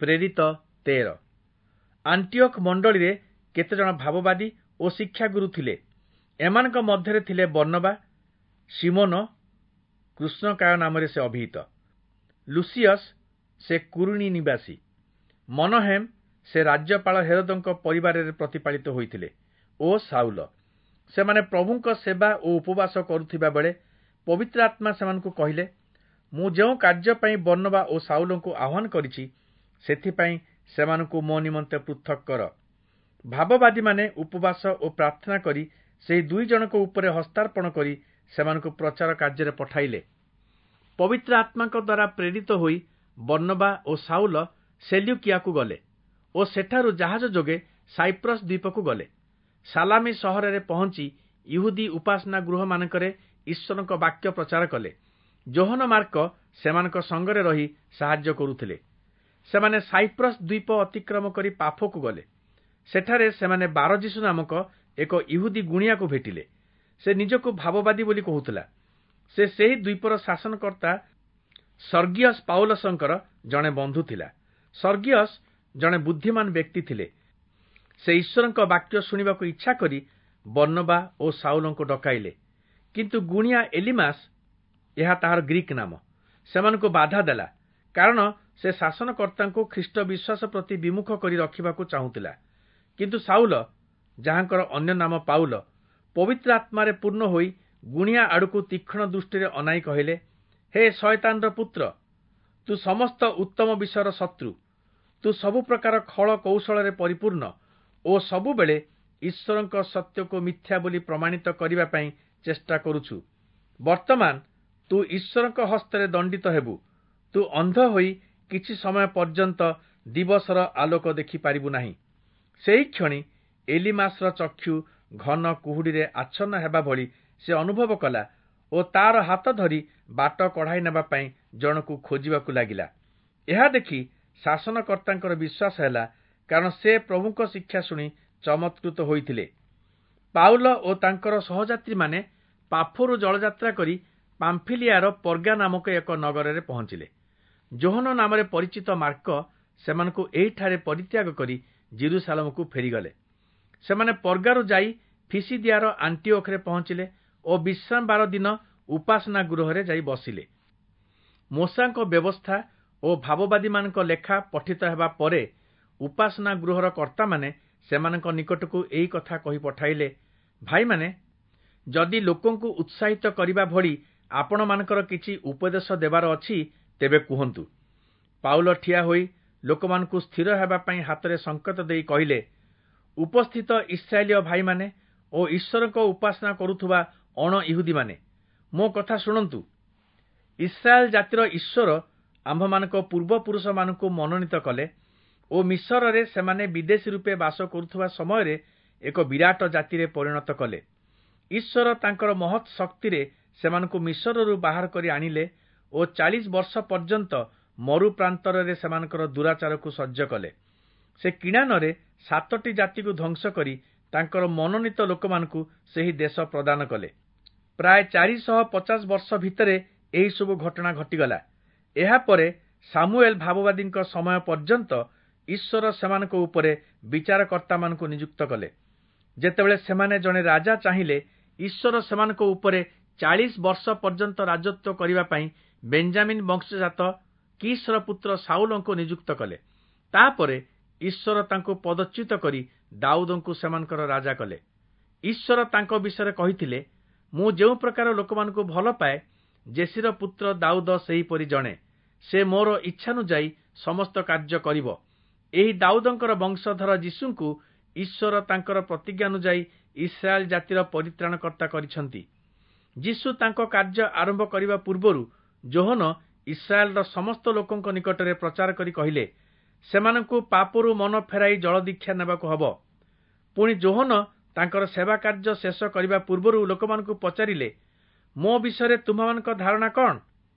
ପ୍ରେରିତ 13। ଆଣ୍ଟିଓଖ ମଣ୍ଡଳୀରେ କେତେଜଣ ଭାବବାଦୀ ଓ ଶିକ୍ଷାଗୁରୁ ଥିଲେ। ଏମାନଙ୍କ ମଧ୍ୟରେ ଥିଲେ ବର୍ଣ୍ଣବା, ଶିମୋନ, କୃଷ୍ଣକାୟ ନାମରେ ସେ ଅଭିହିତ, ଲୁସିୟସ୍, ସେ କୁରିଣୀ ନିବାସୀ, ମନହେମ୍, ସେ ରାଜ୍ୟପାଳ ହେରୋଦଙ୍କ ପରିବାରରେ ପ୍ରତିପାଳିତ ହୋଇଥିଲେ, ଓ ସାଉଲ। ସେମାନେ ପ୍ରଭୁଙ୍କ ସେବା ଓ ଉପବାସ କରୁଥିବା ବେଳେ ପବିତ୍ର ଆତ୍ମା ସେମାନଙ୍କୁ କହିଲେ, ମୁଁ ଯେଉଁ କାର୍ଯ୍ୟ ପାଇଁ ବର୍ଣ୍ଣବା ଓ ସାଉଲଙ୍କୁ ଆହ୍ୱାନ କରିଛି, ସେଥିପାଇଁ ସେମାନଙ୍କୁ ମୋ ନିମନ୍ତେ ପୃଥକ୍ କର। ଭାବବାଦୀମାନେ ଉପବାସ ଓ ପ୍ରାର୍ଥନା କରି ସେହି ଦୁଇ ଜଣଙ୍କ ଉପରେ ହସ୍ତାର୍ପଣ କରି ସେମାନଙ୍କୁ ପ୍ରଚାର କାର୍ଯ୍ୟରେ ପଠାଇଲେ। ପବିତ୍ର ଆତ୍ମାଙ୍କ ଦ୍ୱାରା ପ୍ରେରିତ ହୋଇ ବର୍ଣ୍ଣବା ଓ ସାଉଲ ସେଲ୍ୟୁକିଆକୁ ଗଲେ ଓ ସେଠାରୁ ଜାହାଜ ଯୋଗେ ସାଇପ୍ରସ୍ ଦ୍ୱୀପକୁ ଗଲେ। ସାଲାମି ସହରରେ ପହଞ୍ଚି ଇହୁଦୀ ଉପାସନା ଗୃହମାନଙ୍କରେ ଈଶ୍ୱରଙ୍କ ବାକ୍ୟ ପ୍ରଚାର କଲେ। ଯୋହନ ମାର୍କ ସେମାନଙ୍କ ସଙ୍ଗରେ ରହି ସାହାଯ୍ୟ କରୁଥିଲେ। ସେମାନେ ସାଇପ୍ରସ୍ ଦ୍ୱୀପ ଅତିକ୍ରମ କରି ପାଫକୁ ଗଲେ। ସେଠାରେ ସେମାନେ ବାରଯିଶୁ ନାମକ ଏକ ଇହୁଦୀ ଗୁଣିଆକୁ ଭେଟିଲେ। ସେ ନିଜକୁ ଭାବବାଦୀ ବୋଲି କହୁଥିଲା। ସେ ସେହି ଦ୍ୱୀପର ଶାସନକର୍ତ୍ତା ସର୍ଗିୟସ୍ ପାଉଲସଙ୍କର ଜଣେ ବନ୍ଧୁ ଥିଲା। ସର୍ଗିୟସ୍ ଜଣେ ବୁଦ୍ଧିମାନ ବ୍ୟକ୍ତି ଥିଲେ। ସେ ଈଶ୍ୱରଙ୍କ ବାକ୍ୟ ଶୁଣିବାକୁ ଇଚ୍ଛା କରି ବର୍ଣ୍ଣବା ଓ ସାଉଲଙ୍କୁ ଡକାଇଲେ। କିନ୍ତୁ ଗୁଣିଆ ଏଲିମାସ୍, ଏହା ତାହାର ଗ୍ରୀକ୍ ନାମ, ସେମାନଙ୍କୁ ବାଧା ଦେଲା, କାରଣ ସେ ଶାସନକର୍ତ୍ତାଙ୍କୁ ଖ୍ରୀଷ୍ଟ ବିଶ୍ୱାସ ପ୍ରତି ବିମୁଖ କରି ରଖିବାକୁ ଚାହୁଁଥିଲା। କିନ୍ତୁ ସାଉଲ, ଯାହାଙ୍କର ଅନ୍ୟ ନାମ ପାଉଲ, ପବିତ୍ର ଆତ୍ମାରେ ପୂର୍ଣ୍ଣ ହୋଇ ଗୁଣିଆ ଆଡ଼କୁ ତୀକ୍ଷ୍ଣ ଦୃଷ୍ଟିରେ ଅନାଇ କହିଲେ, ହେ ଶୟତାନର ପୁତ୍ର, ତୁ ସମସ୍ତ ଉତ୍ତମ ବିଷୟର ଶତ୍ରୁ। ତୁ ସବୁ ପ୍ରକାର ଖଳ କୌଶଳରେ ପରିପୂର୍ଣ୍ଣ ଓ ସବୁବେଳେ ଈଶ୍ୱରଙ୍କ ସତ୍ୟକୁ ମିଥ୍ୟା ବୋଲି ପ୍ରମାଣିତ କରିବା ପାଇଁ ଚେଷ୍ଟା କରୁଛୁ। ବର୍ତ୍ତମାନ ତୁ ଈଶ୍ୱରଙ୍କ ହସ୍ତରେ ଦଣ୍ଡିତ ହେବୁ। ତୁ ଅନ୍ଧ ହୋଇ କିଛି ସମୟ ପର୍ଯ୍ୟନ୍ତ ଦିବସର ଆଲୋକ ଦେଖିପାରିବୁ ନାହିଁ। ସେହି କ୍ଷଣି ଏଲିମାସର ଚକ୍ଷୁ ଘନ କୁହୁଡ଼ିରେ ଆଚ୍ଛନ୍ନ ହେବା ଭଳି ସେ ଅନୁଭବ କଲା ଓ ତାର ହାତ ଧରି ବାଟ କଢ଼ାଇ ନେବା ପାଇଁ ଜଣକୁ ଖୋଜିବାକୁ ଲାଗିଲା। ଏହା ଦେଖି ଶାସନକର୍ତ୍ତାଙ୍କର ବିଶ୍ୱାସ ହେଲା, କାରଣ ସେ ପ୍ରଭୁଙ୍କ ଶିକ୍ଷା ଶୁଣି ଚମତ୍କୃତ ହୋଇଥିଲେ। ପାଉଲ ଓ ତାଙ୍କର ସହଯାତ୍ରୀମାନେ ପାଫରୁ ଜଳଯାତ୍ରା କରି ପାମ୍ଫିଲିଆର ପର୍ଗା ନାମକ ଏକ ନଗରରେ ପହଞ୍ଚିଲେ। ଯୋହନ ନାମରେ ପରିଚିତ ମାର୍କ ସେମାନଙ୍କୁ ଏହିଠାରେ ପରିତ୍ୟାଗ କରି ଜିରୁସାଲମକୁ ଫେରିଗଲେ। ସେମାନେ ପର୍ଗାରୁ ଯାଇ ଫିସିଦିଆର ଆଣ୍ଟିଓଖରେ ପହଞ୍ଚିଲେ ଓ ବିଶ୍ରାମବାର ଦିନ ଉପାସନା ଗୃହରେ ଯାଇ ବସିଲେ। ମୋଶାଙ୍କ ବ୍ୟବସ୍ଥା ଓ ଭାବବାଦୀମାନଙ୍କ ଲେଖା ପଠିତ ହେବା ପରେ ଉପାସନା ଗୃହର କର୍ତ୍ତାମାନେ ସେମାନଙ୍କ ନିକଟକୁ ଏହି କଥା କହି ପଠାଇଲେ, ଭାଇମାନେ, ଯଦି ଲୋକଙ୍କୁ ଉତ୍ସାହିତ କରିବା ଭଳି ଆପଣମାନଙ୍କର କିଛି ଉପଦେଶ ଦେବାର ଅଛି, ତେବେ କୁହନ୍ତୁ। ପାଉଲ ଠିଆ ହୋଇ ଲୋକମାନଙ୍କୁ ସ୍ଥିର ହେବା ପାଇଁ ହାତରେ ସଂକେତ ଦେଇ କହିଲେ, ଉପସ୍ଥିତ ଇସ୍ରାଏଲୀୟ ଭାଇମାନେ ଓ ଈଶ୍ୱରଙ୍କ ଉପାସନା କରୁଥିବା ଅଣ ଇହୁଦୀମାନେ, ମୋ କଥା ଶୁଣନ୍ତୁ। ଇସ୍ରାଏଲ ଜାତିର ଈଶ୍ୱର ଆମ୍ଭମାନଙ୍କ ପୂର୍ବପୁରୁଷମାନଙ୍କୁ ମନୋନୀତ କଲେ ଓ ମିଶରରେ ସେମାନେ ବିଦେଶୀ ରୂପେ ବାସ କରୁଥିବା ସମୟରେ ଏକ ବିରାଟ ଜାତିରେ ପରିଣତ କଲେ। ଈଶ୍ୱର ତାଙ୍କର ମହତ୍ ଶକ୍ତିରେ ସେମାନଙ୍କୁ ମିଶରରୁ ବାହାର କରି ଆଣିଲେ ଓ 40 ବର୍ଷ ପର୍ଯ୍ୟନ୍ତ ମରୁ ପ୍ରାନ୍ତରରେ ସେମାନଙ୍କର ଦୁରାଚାରକୁ ସହ୍ୟ କଲେ। ସେ କିଣାନରେ 7ଟି ଜାତିକୁ ଧ୍ୱଂସ କରି ତାଙ୍କର ମନୋନୀତ ଲୋକମାନଙ୍କୁ ସେହି ଦେଶ ପ୍ରଦାନ କଲେ। ପ୍ରାୟ 450 ବର୍ଷ ଭିତରେ ଏହିସବୁ ଘଟଣା ଘଟିଗଲା। ଏହାପରେ ସାମୁଏଲ ଭାବବାଦୀଙ୍କ ସମୟ ପର୍ଯ୍ୟନ୍ତ ଈଶ୍ୱର ସେମାନଙ୍କ ଉପରେ ବିଚାରକର୍ତ୍ତାମାନଙ୍କୁ ନିଯୁକ୍ତ କଲେ। ଯେତେବେଳେ ସେମାନେ ଜଣେ ରାଜା ଚାହିଁଲେ, ଈଶ୍ୱର ସେମାନଙ୍କ ଉପରେ 40 ବର୍ଷ ପର୍ଯ୍ୟନ୍ତ ରାଜତ୍ୱ କରିବା ପାଇଁ ବେଞ୍ଜାମିନ୍ ବଂଶଜାତ କିଶର ପୁତ୍ର ସାଉଲଙ୍କୁ ନିଯୁକ୍ତ କଲେ। ତାପରେ ଈଶ୍ୱର ତାଙ୍କୁ ପଦଚ୍ୟୁତ କରି ଦାଉଦଙ୍କୁ ସେମାନଙ୍କର ରାଜା କଲେ। ଈଶ୍ୱର ତାଙ୍କ ବିଷୟରେ କହିଥିଲେ, ମୁଁ ଯେଉଁ ପ୍ରକାର ଲୋକମାନଙ୍କୁ ଭଲ ପାଏ, ଜେସିର ପୁତ୍ର ଦାଉଦ ସେହିପରି ଜଣେ। ସେ ମୋର ଇଚ୍ଛାନୁଯାୟୀ ସମସ୍ତ କାର୍ଯ୍ୟ କରିବ। ଏହି ଦାଉଦଙ୍କର ବଂଶଧର ଯୀଶୁଙ୍କୁ ଈଶ୍ୱର ତାଙ୍କର ପ୍ରତିଜ୍ଞାନୁଯାୟୀ ଇସ୍ରାଏଲ ଜାତିର ପରିତ୍ରାଣକର୍ତ୍ତା କରିଛନ୍ତି। ଯୀଶୁ ତାଙ୍କ କାର୍ଯ୍ୟ ଆରମ୍ଭ କରିବା ପୂର୍ବରୁ ଯୋହନ ଇସ୍ରାଏଲର ସମସ୍ତ ଲୋକଙ୍କ ନିକଟରେ ପ୍ରଚାର କରି କହିଲେ, ସେମାନଙ୍କୁ ପାପରୁ ମନ ଫେରାଇ ଜଳଦୀକ୍ଷା ନେବାକୁ ହେବ। ପୁଣି ଯୋହନ ତାଙ୍କର ସେବା କାର୍ଯ୍ୟ ଶେଷ କରିବା ପୂର୍ବରୁ ଲୋକମାନଙ୍କୁ ପଚାରିଲେ, ମୋ ବିଷୟରେ ତୁମ୍ଭମାନଙ୍କ ଧାରଣା କ'ଣ?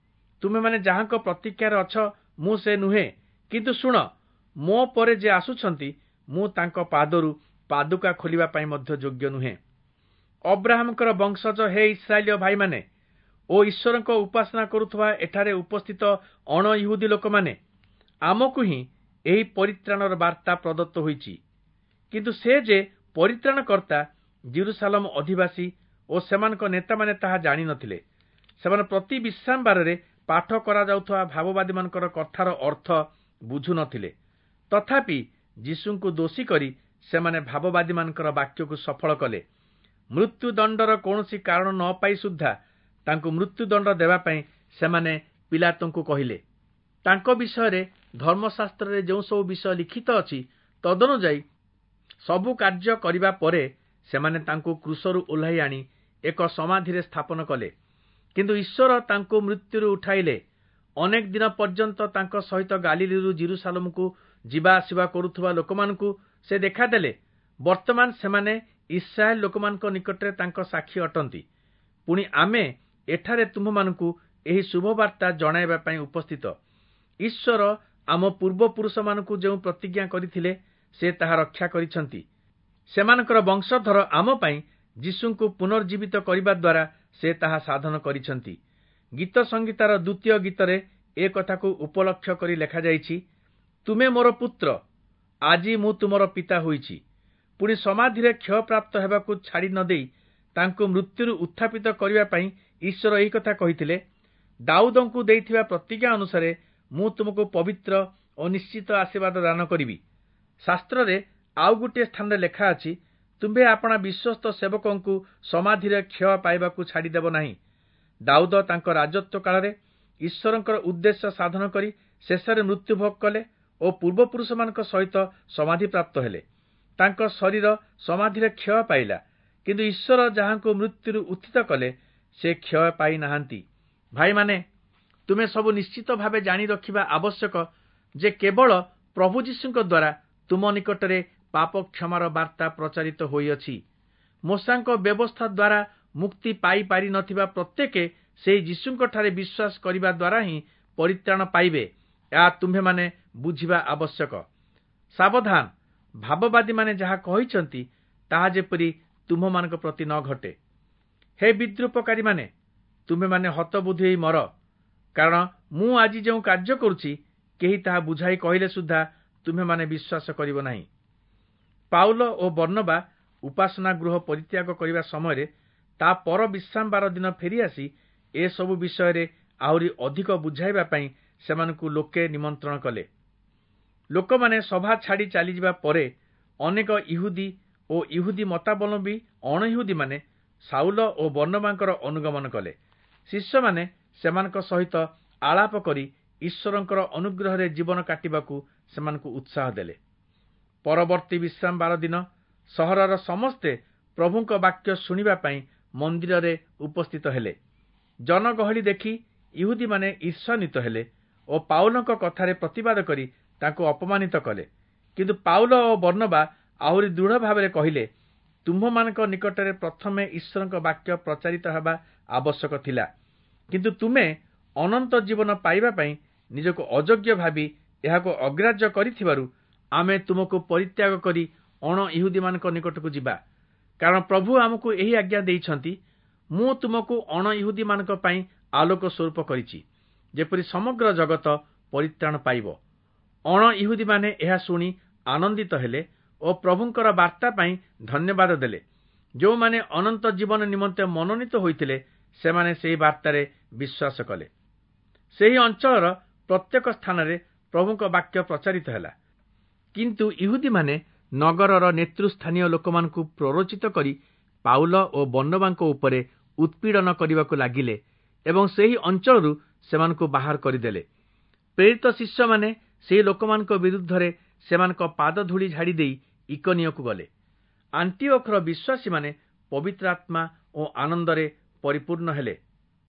ତୁମେମାନେ ଯାହାଙ୍କ ପ୍ରତୀକ୍ଷାରେ ଅଛ, ମୁଁ ସେ ନୁହେଁ। କିନ୍ତୁ ଶୁଣ, ମୋ ପରେ ଯେ ଆସୁଛନ୍ତି, ମୁଁ ତାଙ୍କ ପାଦରୁ ପାଦୁକା ଖୋଲିବା ପାଇଁ ମଧ୍ୟ ଯୋଗ୍ୟ ନୁହେଁ। ଅବ୍ରାହମଙ୍କର ବଂଶଜ ହେ ଇସ୍ରାଏଲୀୟ ଭାଇମାନେ ଓ ଈଶ୍ୱରଙ୍କ ଉପାସନା କରୁଥିବା ଏଠାରେ ଉପସ୍ଥିତ ଅଣ ଇହୁଦୀ ଲୋକମାନେ, ଆମକୁ ହିଁ ଏହି ପରିତ୍ରାଣର ବାର୍ତ୍ତା ପ୍ରଦତ୍ତ ହୋଇଛି। କିନ୍ତୁ ସେ ଯେ ପରିତ୍ରାଣକର୍ତ୍ତା, ଯିରୂଶାଲମ ଅଧିବାସୀ ଓ ସେମାନଙ୍କ ନେତାମାନେ ତାହା ଜାଣିନଥିଲେ। ସେମାନେ ପ୍ରତି ବିଶ୍ରାମବାରରେ ପାଠ କରାଯାଉଥିବା ଭାବବାଦୀମାନଙ୍କର କଥାର ଅର୍ଥ ବୁଝୁନଥିଲେ। ତଥାପି ଯୀଶୁଙ୍କୁ ଦୋଷୀ କରି ସେମାନେ ଭାବବାଦୀମାନଙ୍କର ବାକ୍ୟକୁ ସଫଳ କଲେ। ମୃତ୍ୟୁଦଣ୍ଡର କୌଣସି କାରଣ ନ ପାଇ ସୁଦ୍ଧା ତାଙ୍କୁ ମୃତ୍ୟୁଦଣ୍ଡ ଦେବା ପାଇଁ ସେମାନେ ପିଲାତଙ୍କୁ କହିଲେ। ତାଙ୍କ ବିଷୟରେ ଧର୍ମଶାସ୍ତ୍ରରେ ଯେଉଁ ସବୁ ବିଷୟ ଲିଖିତ ଅଛି, ତଦନୁଯାୟୀ ସବୁ କାର୍ଯ୍ୟ କରିବା ପରେ ସେମାନେ ତାଙ୍କୁ କ୍ରୁଶରୁ ଓହ୍ଲାଇ ଆଣି ଏକ ସମାଧିରେ ସ୍ଥାପନ କଲେ। କିନ୍ତୁ ଈଶ୍ୱର ତାଙ୍କୁ ମୃତ୍ୟୁରୁ ଉଠାଇଲେ। ଅନେକ ଦିନ ପର୍ଯ୍ୟନ୍ତ ତାଙ୍କ ସହିତ ଗାଲିଲିରୁ ଯିରୂଶାଲମକୁ ଯିବା ଆସିବା କରୁଥିବା ଲୋକମାନଙ୍କୁ ସେ ଦେଖାଦେଲେ। ବର୍ତ୍ତମାନ ସେମାନେ ଇସ୍ରାଏଲ ଲୋକମାନଙ୍କ ନିକଟରେ ତାଙ୍କ ସାକ୍ଷୀ ଅଟନ୍ତି। ପୁଣି ଆମେ ଏଠାରେ ତୁମ୍ଭମାନଙ୍କୁ ଏହି ଶୁଭବାର୍ତ୍ତା ଜଣାଇବା ପାଇଁ ଉପସ୍ଥିତ। ଈଶ୍ୱର ଆମ ପୂର୍ବପୁରୁଷମାନଙ୍କୁ ଯେଉଁ ପ୍ରତିଜ୍ଞା କରିଥିଲେ, ସେ ତାହା ରକ୍ଷା କରିଛନ୍ତି। ସେମାନଙ୍କର ବଂଶଧର ଆମ ପାଇଁ ଯୀଶୁଙ୍କୁ ପୁନର୍ଜୀବିତ କରିବା ଦ୍ୱାରା ସେ ତାହା ସାଧନ କରିଛନ୍ତି। ଗୀତ ସଂହିତାର ଦ୍ୱିତୀୟ ଗୀତରେ ଏ କଥାକୁ ଉପଲକ୍ଷ୍ୟ କରି ଲେଖାଯାଇଛି, ତୁମେ ମୋର ପୁତ୍ର, ଆଜି ମୁଁ ତୁମର ପିତା ହୋଇଛି। ପୁଣି ସମାଧିରେ କ୍ଷୟପ୍ରାପ୍ତ ହେବାକୁ ଛାଡ଼ି ନ ଦେଇ ତାଙ୍କୁ ମୃତ୍ୟୁରୁ ଉତ୍ଥାପିତ କରିବା ପାଇଁ ଈଶ୍ୱର ଏହି କଥା କହିଥିଲେ, ଦାଉଦଙ୍କୁ ଦେଇଥିବା ପ୍ରତିଜ୍ଞା ଅନୁସାରେ ମୁଁ ତୁମକୁ ପବିତ୍ର ଓ ନିଶ୍ଚିତ ଆଶୀର୍ବାଦ ଦାନ କରିବି। ଶାସ୍ତ୍ରରେ ଆଉ ଗୋଟିଏ ସ୍ଥାନରେ ଲେଖା ଅଛି, ତୁମ୍ଭେ ଆପଣା ବିଶ୍ୱସ୍ତ ସେବକଙ୍କୁ ସମାଧିରେ କ୍ଷୟ ପାଇବାକୁ ଛାଡ଼ିଦେବ ନାହିଁ। ଦାଉଦ ତାଙ୍କ ରାଜତ୍ୱ କାଳରେ ଈଶ୍ୱରଙ୍କର ଉଦ୍ଦେଶ୍ୟ ସାଧନ କରି ଶେଷରେ ମୃତ୍ୟୁଭୋଗ କଲେ ଓ ପୂର୍ବପୁରୁଷମାନଙ୍କ ସହିତ ସମାଧିପ୍ରାପ୍ତ ହେଲେ। ତାଙ୍କ ଶରୀର ସମାଧିରେ କ୍ଷୟ ପାଇଲା, କିନ୍ତୁ ଈଶ୍ୱର ଯାହାଙ୍କୁ ମୃତ୍ୟୁରୁ ଉତ୍ଥିତ କଲେ, ସେ କ୍ଷୟ ପାଇନାହାନ୍ତି। ଭାଇମାନେ, ତୁମେ ସବୁ ନିଶ୍ଚିତ ଭାବେ ଜାଣି ରଖିବା ଆବଶ୍ୟକ ଯେ କେବଳ ପ୍ରଭୁ ଯୀଶୁଙ୍କ ଦ୍ୱାରା ତୁମ ନିକଟରେ ପାପ କ୍ଷମାର ବାର୍ତ୍ତା ପ୍ରଚାରିତ ହୋଇଅଛି। ମୋଶାଙ୍କ ବ୍ୟବସ୍ଥା ଦ୍ୱାରା ମୁକ୍ତି ପାଇପାରି ନଥିବା ପ୍ରତ୍ୟେକେ ସେହି ଯୀଶୁଙ୍କଠାରେ ବିଶ୍ୱାସ କରିବା ଦ୍ୱାରା ହିଁ ପରିତ୍ରାଣ ପାଇବେ, ଏହା ତୁମ୍ଭେମାନେ ବୁଝିବା ଆବଶ୍ୟକ। ସାବଧାନ, ଭାବବାଦୀମାନେ ଯାହା କହିଛନ୍ତି ତାହା ଯେପରି ତୁମ୍ଭମାନଙ୍କ ପ୍ରତି ନ ଘଟେ। ହେ ବିଦ୍ରୂପକାରୀମାନେ, ତୁମ୍ଭେମାନେ ହତବୁଦ୍ଧି ହୋଇ ମର, କାରଣ ମୁଁ ଆଜି ଯେଉଁ କାର୍ଯ୍ୟ କରୁଛି, କେହି ତାହା ବୁଝାଇ କହିଲେ ସୁଦ୍ଧା ତୁମ୍ଭେମାନେ ବିଶ୍ୱାସ କରିବ ନାହିଁ। ପାଉଲ ଓ ବର୍ଣ୍ଣବା ଉପାସନା ଗୃହ ପରିତ୍ୟାଗ କରିବା ସମୟରେ ତା ପର ବିଶ୍ରାମବାର ଦିନ ଫେରିଆସି ଏସବୁ ବିଷୟରେ ଆହୁରି ଅଧିକ ବୁଝାଇବା ପାଇଁ ସେମାନଙ୍କୁ ଲୋକେ ନିମନ୍ତ୍ରଣ କଲେ। ଲୋକମାନେ ସଭା ଛାଡ଼ି ଚାଲିଯିବା ପରେ ଅନେକ ଇହୁଦୀ ଓ ଇହୁଦୀ ମତାବଲମ୍ବୀ ଅଣଇହୁଦୀମାନେ ସାଉଲ ଓ ବର୍ଣ୍ଣବାଙ୍କର ଅନୁଗମନ କଲେ। ଶିଷ୍ୟମାନେ ସେମାନଙ୍କ ସହିତ ଆଳାପ କରି ଈଶ୍ୱରଙ୍କର ଅନୁଗ୍ରହରେ ଜୀବନ କାଟିବାକୁ ସେମାନଙ୍କୁ ଉତ୍ସାହ ଦେଲେ। ପରବର୍ତ୍ତୀ ବିଶ୍ରାମବାର ଦିନ ସହରର ସମସ୍ତେ ପ୍ରଭୁଙ୍କ ବାକ୍ୟ ଶୁଣିବା ପାଇଁ ମନ୍ଦିରରେ ଉପସ୍ଥିତ ହେଲେ। ଜନଗହଳି ଦେଖି ଇହୁଦୀମାନେ ଈର୍ଷାନ୍ୱିତ ହେଲେ ଓ ପାଉଲଙ୍କ କଥାରେ ପ୍ରତିବାଦ କରି ତାଙ୍କୁ ଅପମାନିତ କଲେ। କିନ୍ତୁ ପାଉଲ ଓ ବର୍ଣ୍ଣବା ଆହୁରି ଦୃଢ଼ ଭାବରେ କହିଲେ, ତୁମ୍ଭମାନଙ୍କ ନିକଟରେ ପ୍ରଥମେ ଈଶ୍ୱରଙ୍କ ବାକ୍ୟ ପ୍ରଚାରିତ ହେବା ଆବଶ୍ୟକ ଥିଲା, କିନ୍ତୁ ତୁମେ ଅନନ୍ତ ଜୀବନ ପାଇବା ପାଇଁ ନିଜକୁ ଅଯୋଗ୍ୟ ଭାବି ଏହାକୁ ଅଗ୍ରାହ୍ୟ କରିଥିବାରୁ ଆମେ ତୁମକୁ ପରିତ୍ୟାଗ କରି ଅଣ ଇହୁଦୀମାନଙ୍କ ନିକଟକୁ ଯିବା। କାରଣ ପ୍ରଭୁ ଆମକୁ ଏହି ଆଜ୍ଞା ଦେଇଛନ୍ତି, ମୁଁ ତୁମକୁ ଅଣ ଇହୁଦୀମାନଙ୍କ ପାଇଁ ଆଲୋକ ସ୍ୱରୂପ କରିଛି, ଯେପରି ସମଗ୍ର ଜଗତ ପରିତ୍ରାଣ ପାଇବ। ଅଣ ଇହୁଦୀମାନେ ଏହା ଶୁଣି ଆନନ୍ଦିତ ହେଲେ ଓ ପ୍ରଭୁଙ୍କର ବାର୍ତ୍ତା ପାଇଁ ଧନ୍ୟବାଦ ଦେଲେ। ଯେଉଁମାନେ ଅନନ୍ତ ଜୀବନ ନିମନ୍ତେ ମନୋନୀତ ହୋଇଥିଲେ, ସେମାନେ ସେହି ବାର୍ତ୍ତାରେ ବିଶ୍ୱାସ କଲେ। ସେହି ଅଞ୍ଚଳର ପ୍ରତ୍ୟେକ ସ୍ଥାନରେ ପ୍ରଭୁଙ୍କ ବାକ୍ୟ ପ୍ରଚାରିତ ହେଲା। କିନ୍ତୁ ଇହୁଦୀମାନେ ନଗରର ନେତୃସ୍ଥାନୀୟ ଲୋକମାନଙ୍କୁ ପ୍ରରୋଚିତ କରି ପାଉଲ ଓ ବର୍ଣ୍ଣବାଙ୍କ ଉପରେ ଉତ୍ପୀଡ଼ନ କରିବାକୁ ଲାଗିଲେ ଏବଂ ସେହି ଅଞ୍ଚଳରୁ ସେମାନଙ୍କୁ ବାହାର କରିଦେଲେ। ପ୍ରେରିତ ଶିଷ୍ୟମାନେ ସେହି ଲୋକମାନଙ୍କ ବିରୁଦ୍ଧରେ ସେମାନଙ୍କ ପାଦଧୂଳି ଝାଡ଼ି ଦେଇ ଇକନିୟକୁ ଗଲେ। ଆଣ୍ଟିଓଖର ବିଶ୍ୱାସୀମାନେ ପବିତ୍ର ଆତ୍ମା ଓ ଆନନ୍ଦରେ ପରିପୂର୍ଣ୍ଣ ହେଲେ।